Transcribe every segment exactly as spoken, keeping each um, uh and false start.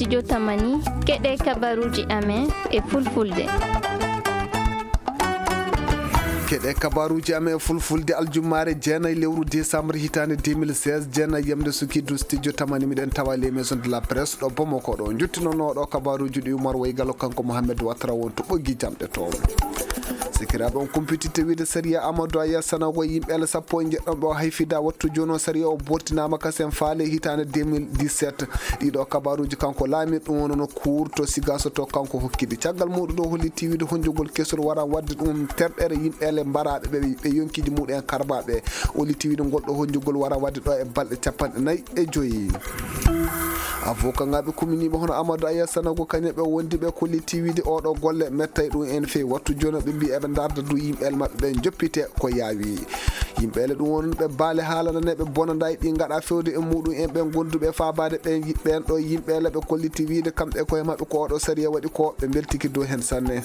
Studio Tamani, keɗe kabaruuji amen e fulfulde. Keɗe kabaruuji amen e fulfulde, aljummaare jeenayi lewru décembre hitaande deux mille seize, jeenayi yamde sukidu Studio Tamani, miɗen tawa les maisons de la presse ɗo Bamako ɗo. Njottinonooɗo kabaruuji ɗi Umar Waygalo, kanko Mohamed Watra won to ɓoggi jamɗe to. Sikiraaɓe, on kumpititte wiide sariya Amadou Aya Sanogo, yimɓe ele sappo e jeɗɗon ɓe o hayfida wattu jooni o, sariya o bortinaama kasen faale hitaande deux mille dix-sept. Ɗiɗo kabaruuji kanko laamiiɗo ɗum wonno kuur to Sigaso to kanko hokkiɗi. Caggal muɗum ɗo hollitii wiide honjogol kesol waran wadde ɗum terɗere yimɓe ele mbaraaɓe ɓe, ɓe yonkiiji muɗum en karbaaɓe. Hollitii wiide ngol ɗo honjogol waran wadde ɗo e balɗe capanɗe nayi e joyi. Avocat ŋaaɓe kuminiiɓe hono Amadou Aya Sanogo kañum ɓe wondi ɓe kolliti wiide oɗo golle mettay ɗum en fewi wattu jooni ɓe mbi eɓe ndarda du yimɓe ele maɓɓe ɓe joppite ko yaawi. Yimɓe ele ɗum won ɓe baale haalananeɓe bonandaay ɗi ngaɗa fewde e muɗum en ɓe gonduɓe faabaade ɓe ɓen ɗo yimɓe ele ɓe kolliti wiide kamɓe koye maɓɓe ko oɗo sariya waɗi ko ɓe mbeltiki dow hen sanne.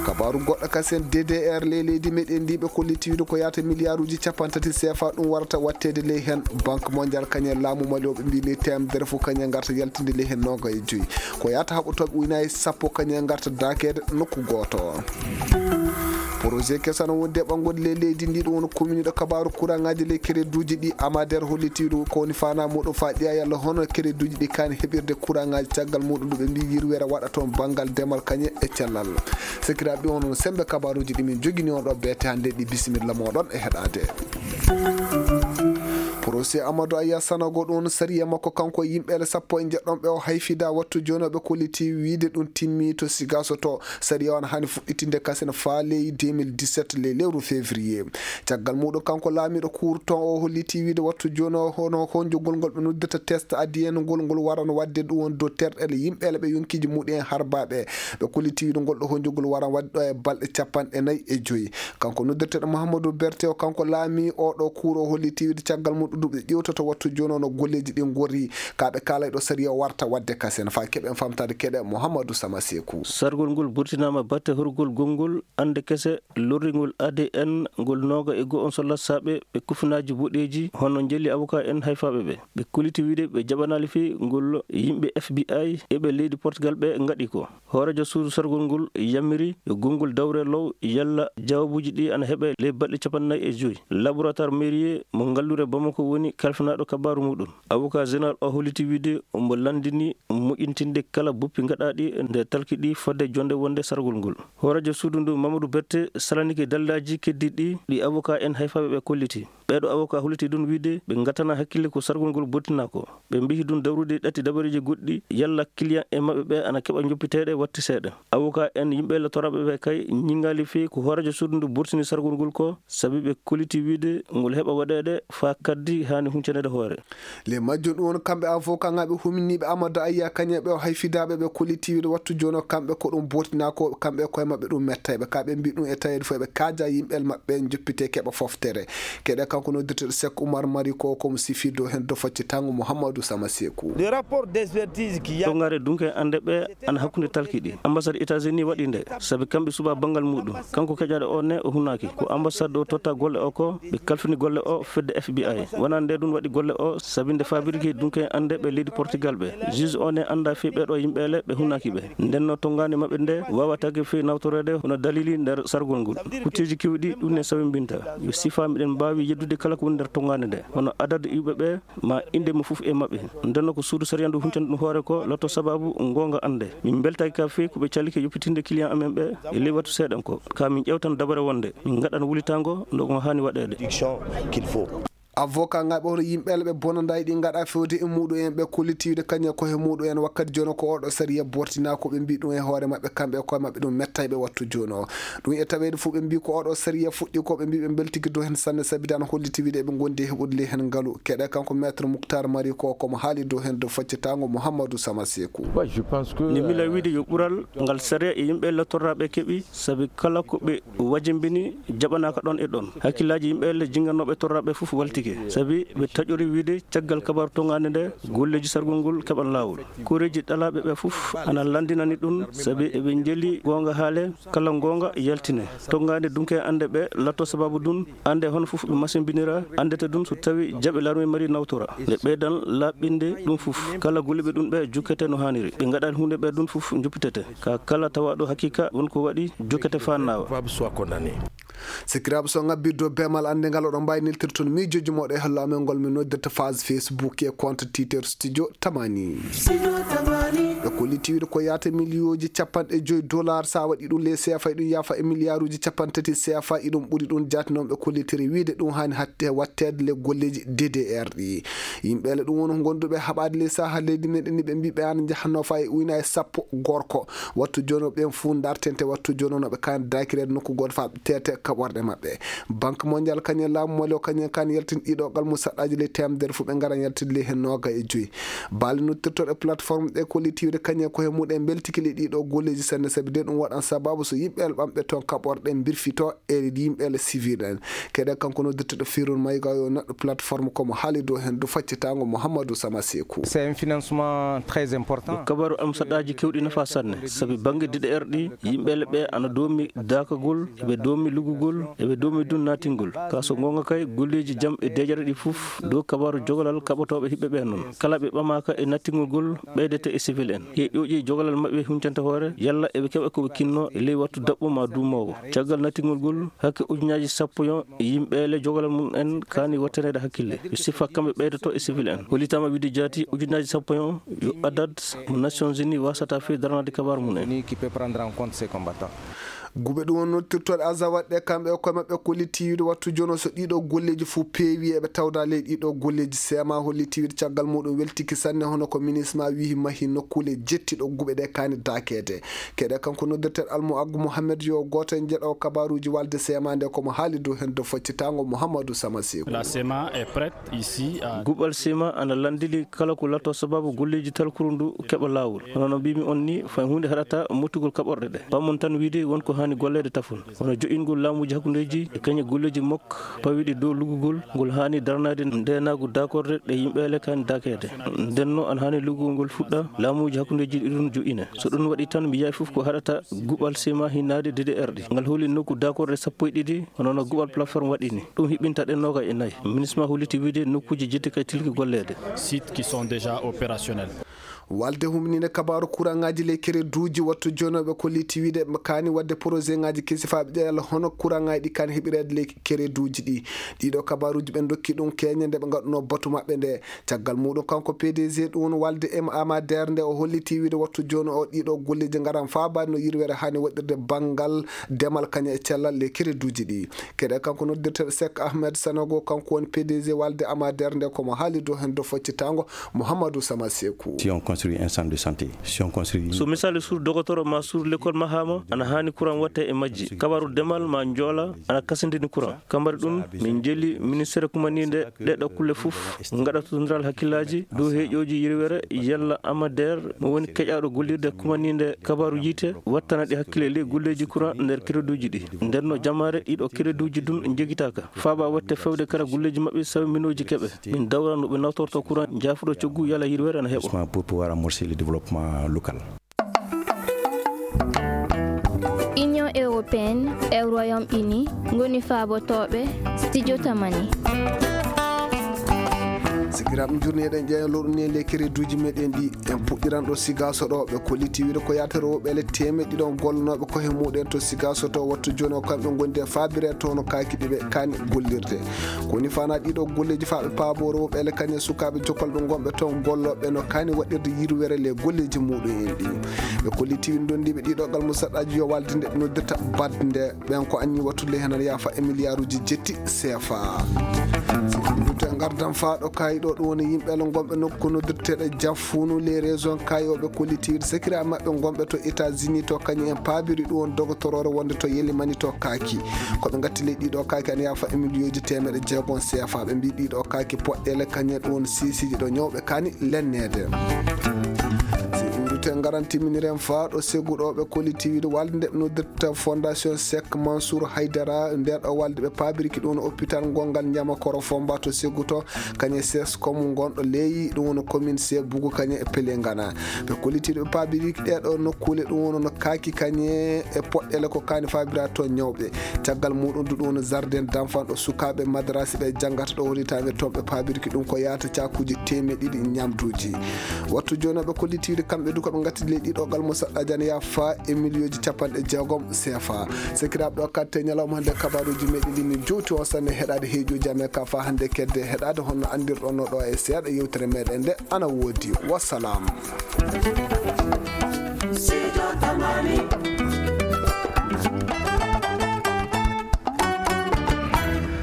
Kabaaru goɗɗo kasen D D R ley leydi meɗen ndi ɓe kolliti wiide ko yaata miliyaaruuji capanɗe tati C F A ɗum warata watteede ley hen. Banque mondiale kañum e laamu Mali o ɓe mbi ley teemedere fof kañum e ngarta yaltinde ley hen nooga e joyi. Ko yaata haɓotooɓe ujunnaaji sappo kañum e ngarta daakeede nokku gooto. Projet keso ana wondi e ɓanngude ley leydi ndi ɗum woni kuminiiɗo kabaaru kuraŋaaji ley kereduuji ɗi Amader holliti ɗum ko woni faanaa muɗum faa ƴeewa yalla hono kereduuji ɗi kaani heɓirde kuraŋaaji caggal muɗum ndu ɓe mbi yirwere waɗa toon banngal demal kañum e cellal. Sekiraaɓe, ɗum woni sembe kabaaruuji ɗi min jogini on ɗo beete hannde ɗi, bisimilla mooɗon e heɗaade. Procès Amadou Aya Sanogo ɗum sariya makko kanko e yimɓe ele sappo e jeɗɗon ɓe o hayfida wattu jooni o ɓe kolliti wiide ɗum timmi to Sigaso to. Sariya on hani fuɗɗitinde kasen faa ley deux mille dix-sept ley lewru février. Caggal muɗum kanko laamiiɗo kuur ton o holliti wiide wattu jooni o hono honjogol ngol ɓe noddata test A D N ngol ngol waran wadde ɗum won dow terɗe ele yimɓe ele ɓe yonkiiji muɗum en harbaaɓe. Ɓe kolliti wiide ngol ɗo honjogol waran wadde ɗo e balɗe capanɗe nayi e joyi. Kanko noddirteeɗo Mouhamadou Berté o, kanko laami o ɗo kuur o holliti wiide caggal muɗum ɗum ɓe ƴewtoto wattu jooni o no golleeji ɗi ngorri. Ka ɓe kaalay ɗo sariya o warta wadde kasen faa keɓen famtaade keɗe Mouhamadou Sama Sekou. Sargol ngol burtinaama batte horgol gongol annde kese lorringol A D N ngol nooga e go'o on so lassaaɓe ɓe kufinaaji boɗeeji hono njelli avocat en hayfaaɓe ɓe. Ɓe kolliti wiide ɓe jaɓanaali fii ngol yimɓe F B I e ɓe leydi Portugal ɓe ngaɗi ko. Hooreejo suudu sargol ngol yamiri yo gonngol dawre law yalla jawaabuuji ɗi ana heɓe ley balɗe capanɗe nayi e joyi. Laboratoire mairie mo ngalluure Bamako woni kalfinaaɗo kabaaru muɗum. Avocat général o holliti wiide omo lanndini moƴƴintinde kala boppi gaɗaaɗi nde talki ɗi fodde jonnde wonnde sargol ngol. Hooreejo suudu ndu Mamadou Berté salanike daliilaaji keddiiɗi ɗi avocat en hayfaaɓe ɓe kolliti. Ɓeeɗo avocat holliti ɗum wiide ɓe ngatana hakkille ko sargol ngol bottinaa ko. Ɓe mbihi ɗum dawrude ɗatti dabareeji goɗɗi yalla client e maɓɓe ɓe ana keɓa joppiteeɗe watti seeɗa. Avocat en yimɓe ele toraaɓe ɓe kay ñiŋaali fii ko hooreejo suudu ndu burtini sargol ngol ko sabi ɓe kolliti wiide ngol heɓa waɗeede faa kaddi haani huncaneede hoore. Ley majjum ɗum woni kamɓe avocat ŋaaɓe huminiiɓe Amadou Aya kañum e ɓe o hayfidaaɓe ɓe kolliti wiide wattu jooni o kamɓe ko ɗum bottinaa ko kamɓe koye maɓɓe ɗum mettayɓe ka ɓe mbi ɗum e taweede fof eɓe kaaja yimɓe ele maɓɓe joppite keɓa foftere. Keɗe kanko noddirteeɗo Seck Oumar Mari ko komo sifi dow heen dow faccitango Mouhamadou Sama Sekou. Le rapport d'expertise qui y a Tongaare dunke annde ɓe ana hakkunde talki ɗi. Ambassade États-Unis waɗi nde, sabi kamɓe suɓa banngal muɗum. Kanko keƴaɗo o ne o hunaaki. Ko ambassade o totta golle o ko, ɓe kalfini golle o fedde F B I. Wonaa nde ɗum waɗi golle o, sabi nde faabirki dunke annde ɓe leydi Portugal ɓe. Juge o ne annda fii ɓeɗo yimɓe ele ɓe hunaaki ɓe. Ndenno tongaande maɓɓe nde waawataake fii nawtoreede hono dalili nder sargol ngol. Kutteeji kewɗi ɗum ne sawimbinta. Yo sifa miɗen mbaawi yeddude kala ko woni nder tongaande nde. Hono adadu iwɓe ɓe, ma innde mo fof e maɓɓe. Ndenno ko suudu sariya ndu huntani ɗum hoore ko lotto sababu ngoonga annde. Min mbeltaaki ka fii ko ɓe calike yoppitinde client amen ɓe e ley wattu seeɗan ko. Ka min ƴewtan dabare wonde min ngaɗan wulitaango nde ko haani waɗeede. Production qu'il faut. Avocat ŋaaɓe hono yimɓe ele ɓe bonandaay ɗi ngaɗa fewde e muɗum en ɓe kolliti wiide kañum e koye muɗum en wakkati jooni ko oɗo sariya bortina ko ɓe mbi ɗum e hoore maɓɓe kamɓe e koye maɓɓe ɗum mettayɓe wattu jooni o. Ɗum e taweede fof ɓe mbi ko oɗo sariya fuɗɗi ko ɓe mbi ɓe mbeltiki dow heen sanne sabi daan holliti wiide eɓe ngondi e heɓude ley heen ngalu. Keɗe kanko maître Mouctar Mari ko komo haali dow heen dow faccitango Mouhamadou Sama Sekou. Ouais, je pense que, Nde mila euh, wiide yo ɓural ngal sariya e yimɓe ele torraɓe keɓi sabi kala ko ɓe wajimbini jaɓanaaka ɗon e ɗon. Hakkillaaji yimɓe ele jinngannooɓe torraɓe fof waltike. Sabi ɓe taƴori wiyde caggal kabaaru toŋaande nde golleeji sargol ngol keɓan laawol. Koreeji ɗalaaɓe ɓe fof ana lanndinani ɗum, sabi eɓe njeli goonga haale, kala goonga yaltine. Toŋaande dunke annde ɓe latto sababu ɗum, annde hono fof ɓe masimbinira, anndete ɗum so tawi jaɓe laarmi mari nawtora. Nde ɓeydan laaɓɓinde ɗum fof, kala golliiɓe ɗum ɓe jukkete no haaniri. Ɓe ngaɗaani huunde ɓe ɗum fof juppitete. Ka kala tawaaɗo haqiiqa won ko waɗi, jukkete faa naawa. Sikiraaɓe, so ngabbirde o beemal annde ngal, oɗon mbaawi neltirde toon miijooji mooɗon e hello amen ngol min noddirta page Facebook e compte Twitter Studio Tamani. Ɓe kolliti wiyde ko yaata miliyooji capanɗe joyi dollar, so a waɗi ɗum ley C F A, iɗum yaafa e miliyaaruuji capantati C F A, iɗum ɓuri ɗum jaati. Noon ɓe kollitiri wiyde ɗum haani hatte watteede ley golleeji D D R ɗi. Yimɓe ele ɗum woni ko gonduɓe haɓaade ley saha leydi meɗen ni, ɓe mbi ɓe ana njahanno fa e uyna e sappo gorko. Wattu jooni o ɓen fuu dartente, wattu jooni o no ɓe kaani dakireede nokku gooto faa ɓe teete kaɓorɗe maɓɓe. Banque Mondiale kañum e laamu Mali o kañum en kaani yaltin ɗiɗo galmu saɗɗaaji ley teemedere fuu ɓe ngara yaltinde ley heen nooga e joyi. Baali noddirtooɗe plateforme ɗe kolliti wiyde kañum en ko he muɗen mbeltiki ley ɗiɗo golleeji sanne, sabi de ɗum waɗan sababu so yimɓe ele ɓamɓe toon kaɓorɗe mbirfito e yimɓe ele civil en. Keɗe kanko noddirteɗo Firun Mayga yo neɗɗo plateforme komo haali dow heen dow faccitaango Mouhamadou Sama Sekou. C'est un financement très important. Ko kabaru am saɗaaji kewɗi nafa sanne, sabi bannge D D R ɗi, yimɓe ele ɓe ana doomi daakagol, eɓe doomi lugugol, eɓe doomi dun naatingol. Ka so goonga kay, golleeji jam e dejere ɗi fof, dow kabaru jogalal kaɓotooɓe hiɓɓe ɓe noon. Kala ɓe ɓamaaka e nattingol gol, ɓeydete e civil en. He ƴoƴi jogalal maɓɓe huncanta hoore, yalla eɓe keɓa ko ɓe kinno e ley wattu daɓɓo ma duumoowo. Caggal nattingol gol, hakke ujunnaaji sappo yon yimɓe ele jogalal mum en kaani wattaneede hakkille. Yo sifa kamɓe ɓeydoto e civil en. Hollitaama wiyde jaati ujunnaaji sappo yon yo adad mo Nations Unies wasata fii daranaade kabaru mum en. Ni qui peut prendre en compte ces combattants. Guɓe ɗum woni noddirtooɗe Azawad ɗe kamɓe e koye maɓɓe kolliti wiyde wattu jooni o so ɗiɗo golleeji fof peewi eɓe tawda ley ɗiɗo golleeji. Seema holliti wiyde caggal muɗum weltiki sanne hono ko minisma wihi mahi nokkuule jetti ɗo guɓe ɗe kaani dakeede. Keɗe kanko noddirteɗo Almu Aggu Mohammed yo gooto e jeɗo kabaruuji walde Seema nde komo haali dow heen dow faccitaango Mouhamadou Sama Sekou. La Seema est prête ici à Guɓal Seema ana lanndini kala ko latto sababu golleeji talkuru ndu keɓa laawol. Hono no mbimi on ni, fay huunde haɗata mottugol kaɓorɗe ɗe. Pammon tan wiyde won ko haani golleede tafon. Hono joƴƴingol laamuuji hakkundeeji e kañe golleeji mok pawiɗi dow luggugol ngol haani daranaade ndeenaagu dakorde ɗe yimɓe ele kaani dakeede. Ndenno ana haani luggugol ngol fuɗɗa, laamuuji hakkundeeji ɗi ɗum joƴƴine. So ɗum waɗi tan, mi yawi fof ko haɗata guɓal Seema hinnaade D D R ɗi. Ngal holi nokku dakorde sappo e ɗiɗi, hono no guɓal plateforme waɗi ni. Ɗum hiɓɓinta ɗen nooga e nayi. Minisma holliti wiyde nokkuuji jetti kay tilki golleede. Sites qui sont déjà opérationnels. Walde humninde kabaaru kuraŋaaji ley kereduuji wattu jooni o ɓe kolliti wiyde kaani waɗde projet ŋaaji kesi faa ɓe ƴeewa hono kuraŋaaji ɗi kaani heɓireede ley kereduuji ɗi. Ɗiɗo kabaaruuji ɓe ndokki ɗum keeñe nde ɓe ngaɗunoo batu maɓɓe nde. Caggal muɗum kanko P D G ɗum woni walde M Amader nde o holliti wiyde wattu jooni o ɗiɗo golleeji ngaran faabaade no yirwere haani waɗirde banngal demal kañum e cellal ley kereduuji ɗi. Keɗe kanko noddirteɗo Seck Ahmed Sanogo, kanko woni P D G walde Amader nde komo haali dow heen dow faccitaango Mouhamadou Sama Sekou. Si on construit un centre de santé, si on construit So misali sur dogotoro ma sur l'école mahama ana haani courant watte e majji. Kabaru demal ma njoola ana kasindini courant. Kambari ɗum min njeli ministère kumaninde ɗeɗo kulle fof ngaɗa totondiral hakkillaaji dow heeƴooji yirwere yalla Amader mo woni keƴaaɗo gollirde kumaninde kabaru yiite wattana ɗi hakkille ley golleeji courant nder kereduuji ɗi. Nden no jamaare ɗiɗo kereduuji dun njogitaaka. Faaba watte fewde kala golleeji maɓɓe sawi minooji keɓe. Min dawra no ɓe nawtorto courant jaafuɗo coggu yalla yirwere ana heɓo. Pour pouvoir amorcer le développement local. Union européenne e Royaume-Uni ngoni faabotooɓe Studio Tamani. Sikiraaɓe, jooni eɗen ƴeewa lowɗo ni e ley kereduuji meɗen ɗi. En puɗɗiran ɗo Sigaaso ɗo, ɓe kolliti wiyde ko yaatere woɓɓe ele teemeɗɗe ɗiɗon gollanooɓe koye muɗen to Sigaaso to wattu jooni o kamɓe ngondi e faabire to no kaaki ɗi ɓe kaani gollirde. Ko woni fana ɗiɗo golleeji faa ɓe paaboore woɓɓe ele kañe sukaaɓe jokolɓe gonɓe toon gollooɓe no kaani waɗirde yirwere ley golleeji muɗum en ɗi. Ɓe kolliti wiyde ndondiiɓe ɗiɗo galmusaɗɗaaji yo walde nde ɓe noddirta badde ɓen ko anni wattude heen ana yaafa e miliyaaruuji jetti C F A. Ngardan faa ɗo kayi ɗo ɗum woni yimɓe ele gonɓe nokku noddirteeɗo Jafunu les régions kayi o ɓe kolliti wiyde sakiraaɓe maɓɓe gonɓe to États-Unis to kañum en paabiri ɗum woni dogotoroore wonde to Yelimani to kaaki. Ko ɓe ngatti ley ɗiɗo kaaki ana yaafa e miliyooji teemeɗe jeegom C F A. Ɓe mbi ɗiɗo kaaki poɗɗeele kañum en ɗum woni siisiiji ɗo ñawɓe kaani lenneede. Si iwri Te ngarantiminiren faa ɗo Segu ɗo ɓe kolliti wiide walde nde ɓe noddirta Fondation Cheikh Mansour Haydara, nder ɗo walde ɓe paabirki ɗum no hôpital ngongal Njamakoro Fomba to Segu to, kañe Sescom ngonɗo ley, ɗum woni commune Segu kañe e Pelengana. Ɓe kolliti ɓe paabirki ɗee ɗo nokkuule, ɗum woni no kaaki kañe e poɗɗele ko kaani faabira to ñawɓe. Caggal muɗum du ɗum woni jardin d'enfant ɗo sukaaɓe madarasi ɓe janngata ɗo woni tawi toon ɓe paabirki ɗum ko yaata caakuuji teemeɗe ɗiɗi ñamduuji. Wattu jooni ɓe kolliti wiide kamɓe du ko ɓe ngatti ley ɗiɗo gal mo saɗɗa jana ya fa e miliyooji capanɗe jeegom C F A. Sakiraaɓe ɗo katte ñalawma hannde kabaruuji meɗen ɗi min jowti on sanne heɗaade heejuuji amen ka fa hannde kedde heɗaade honno anndirɗon no ɗo e seeɗa yewtere meɗen nde ana woodi. Wassalam.